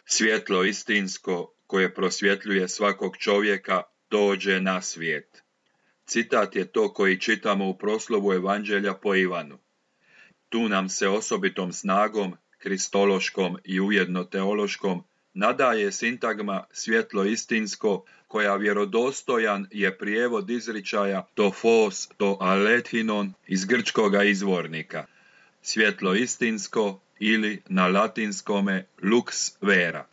Svjetlo istinsko koje prosvjetljuje svakog čovjeka dođe na svijet. Citat je to koji čitamo u proslovu Evanđelja po Ivanu. Tu nam se osobitom snagom, kristološkom i ujedno teološkom, nadaje sintagma svjetlo istinsko, koja vjerodostojan je prijevod izričaja to fos, to alethinon iz grčkoga izvornika. Svjetlo istinsko ili na latinskome lux vera.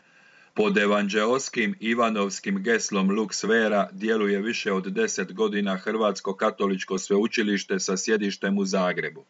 Pod evanđeoskim Ivanovskim geslom Lux Vera djeluje više od 10 godina Hrvatsko katoličko sveučilište sa sjedištem u Zagrebu.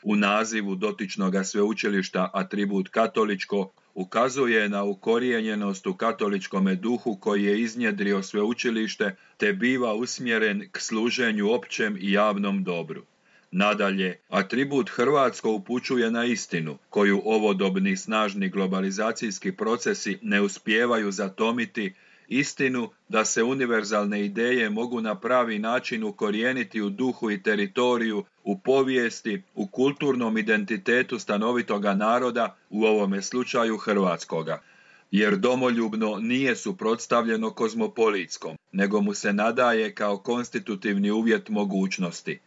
U nazivu dotičnoga sveučilišta atribut katoličko ukazuje na ukorijenjenost u katoličkome duhu koji je iznjedrio sveučilište te biva usmjeren k služenju općem i javnom dobru. Nadalje, atribut hrvatsko upućuje na istinu, koju ovodobni snažni globalizacijski procesi ne uspijevaju zatomiti, istinu da se univerzalne ideje mogu na pravi način ukorijeniti u duhu i teritoriju, u povijesti, u kulturnom identitetu stanovitoga naroda, u ovome slučaju hrvatskoga. Jer domoljubno nije suprotstavljeno kozmopolitskom, nego mu se nadaje kao konstitutivni uvjet mogućnosti.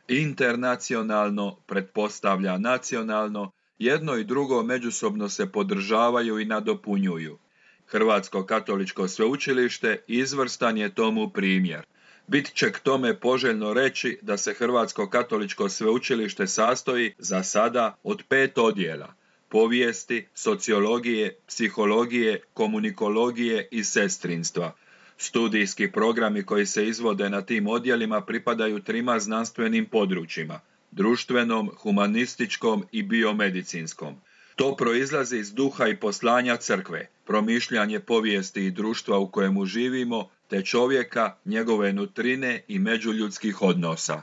Internacionalno pretpostavlja nacionalno, jedno i drugo međusobno se podržavaju i nadopunjuju. Hrvatsko katoličko sveučilište izvrstan je tomu primjer. Bit će k tome poželjno reći da se Hrvatsko katoličko sveučilište sastoji za sada od 5 odjela: povijesti, sociologije, psihologije, komunikologije i sestrinstva. Studijski programi koji se izvode na tim odjelima pripadaju 3 znanstvenim područjima: društvenom, humanističkom i biomedicinskom. To proizlazi iz duha i poslanja crkve, promišljanje povijesti i društva u kojemu živimo, te čovjeka, njegove nutrine i međuljudskih odnosa.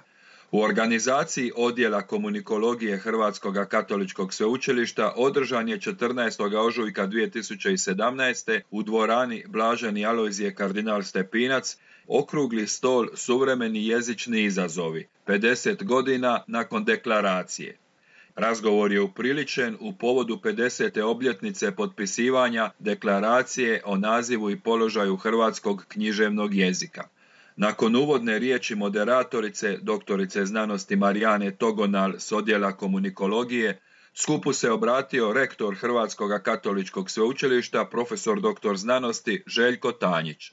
U organizaciji odjela komunikologije Hrvatskog katoličkog sveučilišta održan je 14. ožujka 2017. u dvorani Blaženi Alojzije kardinal Stepinac okrugli stol Suvremeni jezični izazovi, 50 godina nakon deklaracije. Razgovor je upriličen u povodu 50. obljetnice potpisivanja deklaracije o nazivu i položaju hrvatskog književnog jezika. Nakon uvodne riječi moderatorice, doktorice znanosti Marijane Togonal s odjela komunikologije, skupu se obratio rektor Hrvatskog katoličkog sveučilišta, profesor dr. znanosti Željko Tanjić.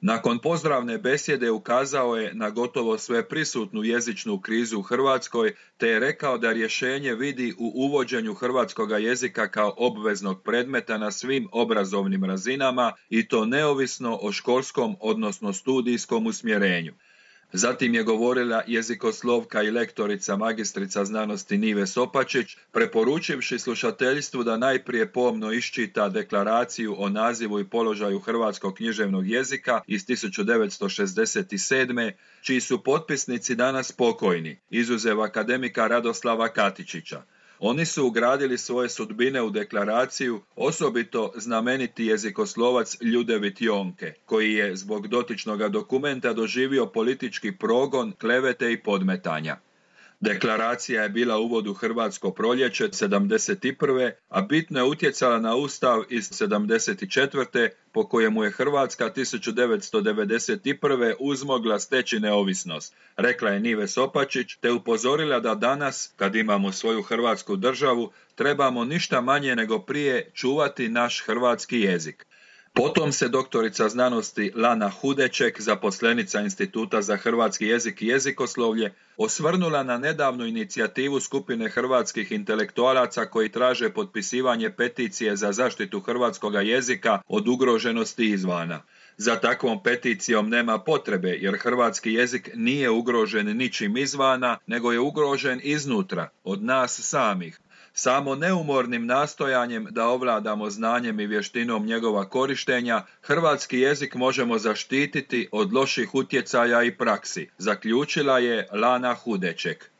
Nakon pozdravne besjede ukazao je na gotovo sve prisutnu jezičnu krizu u Hrvatskoj, te je rekao da rješenje vidi u uvođenju hrvatskoga jezika kao obveznog predmeta na svim obrazovnim razinama i to neovisno o školskom odnosno studijskom usmjerenju. Zatim je govorila jezikoslovka i lektorica magistrica znanosti Nive Sopačić, preporučivši slušateljstvu da najprije pomno iščita deklaraciju o nazivu i položaju hrvatskog književnog jezika iz 1967. čiji su potpisnici danas pokojni, izuzev akademika Radoslava Katičića. Oni su ugradili svoje sudbine u deklaraciju, osobito znameniti jezikoslovac Ljudevit Jonke, koji je zbog dotičnoga dokumenta doživio politički progon, klevete i podmetanja. Deklaracija je bila uvod u hrvatsko proljeće 71. a bitno je utjecala na Ustav iz 74. po kojemu je Hrvatska 1991. uzmogla steći neovisnost, rekla je Nive Sopačić, te upozorila da danas, kad imamo svoju hrvatsku državu, trebamo ništa manje nego prije čuvati naš hrvatski jezik. Potom se doktorica znanosti Lana Hudeček, zaposlenica Instituta za hrvatski jezik i jezikoslovlje, osvrnula na nedavnu inicijativu skupine hrvatskih intelektualaca koji traže potpisivanje peticije za zaštitu hrvatskoga jezika od ugroženosti izvana. Za takvom peticijom nema potrebe, jer hrvatski jezik nije ugrožen ničim izvana, nego je ugrožen iznutra, od nas samih. Samo neumornim nastojanjem da ovladamo znanjem i vještinom njegova korištenja, hrvatski jezik možemo zaštititi od loših utjecaja i praksi, zaključila je Lana Hudeček.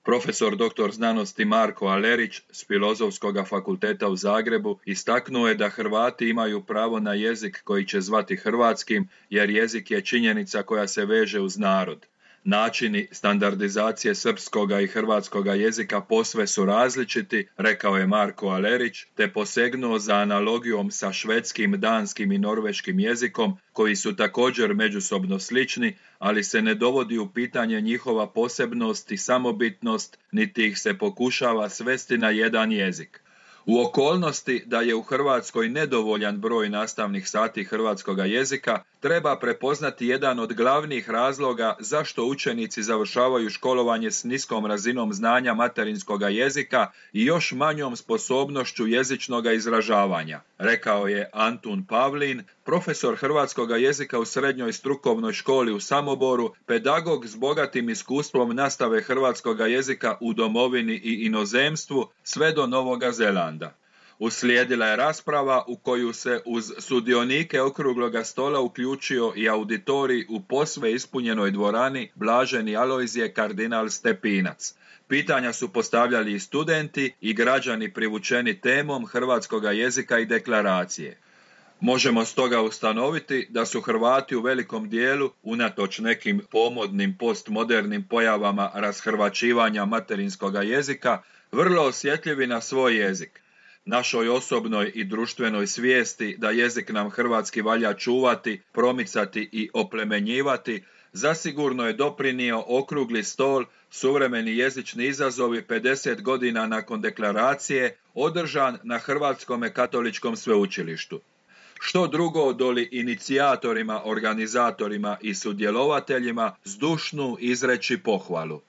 Profesor dr. znanosti Marko Alerić s Filozofskog fakulteta u Zagrebu istaknuo je da Hrvati imaju pravo na jezik koji će zvati hrvatskim, jer jezik je činjenica koja se veže uz narod. Načini standardizacije srpskoga i hrvatskoga jezika posve su različiti, rekao je Marko Alerić, te posegnuo za analogijom sa švedskim, danskim i norveškim jezikom, koji su također međusobno slični, ali se ne dovodi u pitanje njihova posebnost i samobitnost, niti ih se pokušava svesti na jedan jezik. U okolnosti da je u Hrvatskoj nedovoljan broj nastavnih sati hrvatskoga jezika, treba prepoznati jedan od glavnih razloga zašto učenici završavaju školovanje s niskom razinom znanja materinskoga jezika i još manjom sposobnošću jezičnog izražavanja, rekao je Antun Pavlin, profesor hrvatskoga jezika u srednjoj strukovnoj školi u Samoboru, pedagog s bogatim iskustvom nastave hrvatskoga jezika u domovini i inozemstvu sve do Novoga Zelanda. Uslijedila je rasprava u koju se uz sudionike okrugloga stola uključio i auditorij u posve ispunjenoj dvorani Blaženi Alojzije kardinal Stepinac. Pitanja su postavljali i studenti i građani privučeni temom hrvatskoga jezika i deklaracije. Možemo stoga ustanoviti da su Hrvati u velikom dijelu, unatoč nekim pomodnim postmodernim pojavama rashrvaćivanja materinskoga jezika, vrlo osjetljivi na svoj jezik. Našoj osobnoj i društvenoj svijesti da jezik nam hrvatski valja čuvati, promicati i oplemenjivati, zasigurno je doprinio okrugli stol Suvremeni jezični izazovi 50 godina nakon deklaracije, održan na Hrvatskome katoličkom sveučilištu. Što drugo doli inicijatorima, organizatorima i sudjelovateljima zdušnu izreći pohvalu.